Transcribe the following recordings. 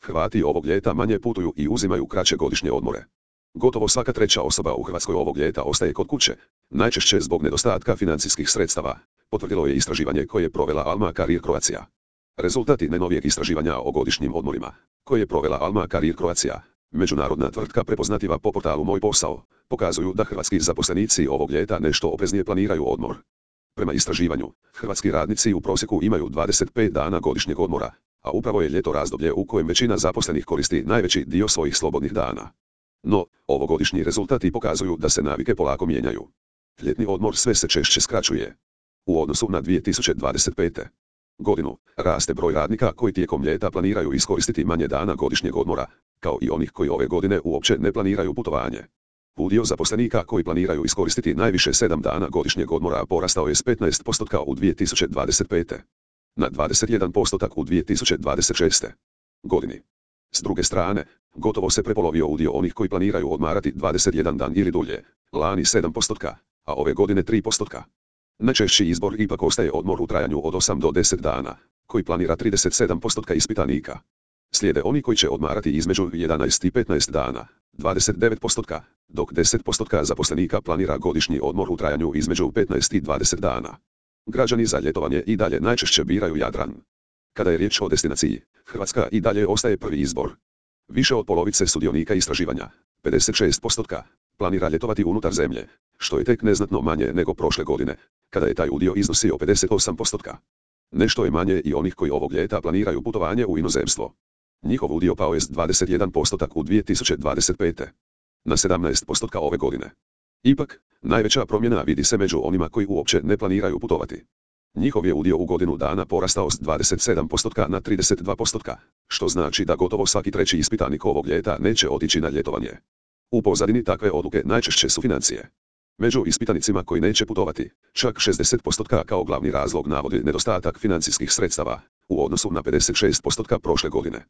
Hrvati ovog ljeta manje putuju i uzimaju kraće godišnje odmore. Gotovo svaka treća osoba u Hrvatskoj ovog ljeta ostaje kod kuće, najčešće zbog nedostatka financijskih sredstava, potvrdilo je istraživanje koje je provela Alma Career Croatia. Rezultati najnovijeg istraživanja o godišnjim odmorima, koje je provela Alma Career Croatia, međunarodna tvrtka prepoznativa po portalu Moj posao, pokazuju da hrvatski zaposlenici ovog ljeta nešto opreznije planiraju odmor. Prema istraživanju, hrvatski radnici u prosjeku imaju 25 dana godišnjeg odmora, a upravo je ljeto razdoblje u kojem većina zaposlenih koristi najveći dio svojih slobodnih dana. No, ovogodišnji rezultati pokazuju da se navike polako mijenjaju. Ljetni odmor sve se češće skraćuje. U odnosu na 2025. godinu, raste broj radnika koji tijekom ljeta planiraju iskoristiti manje dana godišnjeg odmora, kao i onih koji ove godine uopće ne planiraju putovanje. Udio zaposlenika koji planiraju iskoristiti najviše 7 dana godišnjeg odmora porastao je s 15% u 2025. na 21% u 2026. godini. S druge strane, gotovo se prepolovio udio onih koji planiraju odmarati 21 dan ili dulje, lani 7%, a ove godine 3%. Najčešći izbor ipak ostaje odmor u trajanju od 8 do 10 dana, koji planira 37% ispitanika. Slijede oni koji će odmarati između 11 i 15 dana, 29%, dok 10% zaposlenika planira godišnji odmor u trajanju između 15 i 20 dana. Građani za ljetovanje i dalje najčešće biraju Jadran. Kada je riječ o destinaciji, Hrvatska i dalje ostaje prvi izbor. Više od polovice sudionika istraživanja, 56%, planira ljetovati unutar zemlje, što je tek neznatno manje nego prošle godine, kada je taj udio iznosio 58%. Nešto je manje i onih koji ovog ljeta planiraju putovanje u inozemstvo. Njihov udio pao je s 21% u 2025. na 17% ove godine. Ipak, najveća promjena vidi se među onima koji uopće ne planiraju putovati. Njihov je udio u godinu dana porastao s 27% na 32%, što znači da gotovo svaki treći ispitanik ovog ljeta neće otići na ljetovanje. U pozadini takve odluke najčešće su financije. Među ispitanicima koji neće putovati, čak 60% kao glavni razlog navodi nedostatak financijskih sredstava, u odnosu na 56% prošle godine.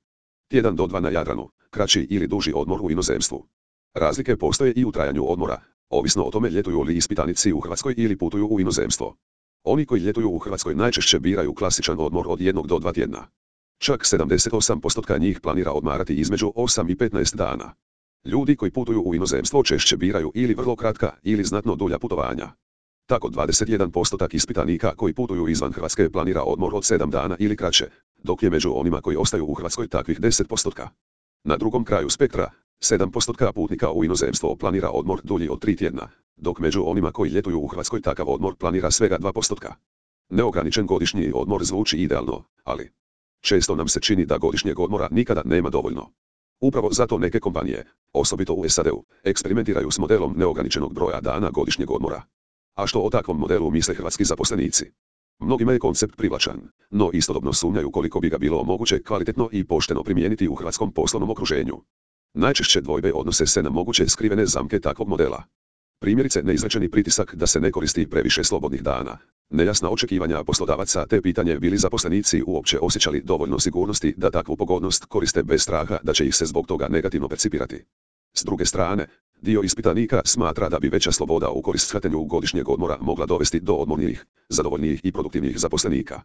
Tjedan do 2 na Jadranu, kraći ili duži odmor u inozemstvu. Razlike postoje i u trajanju odmora, ovisno o tome ljetuju li ispitanici u Hrvatskoj ili putuju u inozemstvo. Oni koji ljetuju u Hrvatskoj najčešće biraju klasičan odmor od 1 do 2 tjedna. Čak 78% njih planira odmarati između 8 i 15 dana. Ljudi koji putuju u inozemstvo češće biraju ili vrlo kratka ili znatno dulja putovanja. Tako 21% ispitanika koji putuju izvan Hrvatske planira odmor od 7 dana ili kraće, dok je među onima koji ostaju u Hrvatskoj takvih 10%. Na drugom kraju spektra, 7% putnika u inozemstvo planira odmor dulji od 3 tjedna, dok među onima koji ljetuju u Hrvatskoj takav odmor planira svega 2%. Neograničen godišnji odmor zvuči idealno, ali često nam se čini da godišnjeg odmora nikada nema dovoljno. Upravo zato neke kompanije, osobito u SAD-u, eksperimentiraju s modelom neograničenog broja dana godišnjeg odmora. A što o takvom modelu misle hrvatski zaposlenici? Mnogima je koncept privlačan, no istodobno sumnjaju koliko bi ga bilo moguće kvalitetno i pošteno primijeniti u hrvatskom poslovnom okruženju. Najčešće dvojbe odnose se na moguće skrivene zamke takvog modela. Primjerice neizrečeni pritisak da se ne koristi previše slobodnih dana, nejasna očekivanja poslodavaca te pitanje bi li zaposlenici uopće osjećali dovoljno sigurnosti da takvu pogodnost koriste bez straha da će ih se zbog toga negativno percipirati. S druge strane, dio ispitanika smatra da bi veća sloboda u korist shvatanju godišnjeg odmora mogla dovesti do odmornijih, zadovoljnijih i produktivnijih zaposlenika.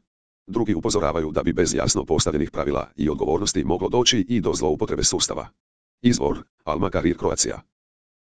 Drugi upozoravaju da bi bez jasno postavljenih pravila i odgovornosti moglo doći i do zloupotrebe sustava. Izvor: Alma Career Croatia.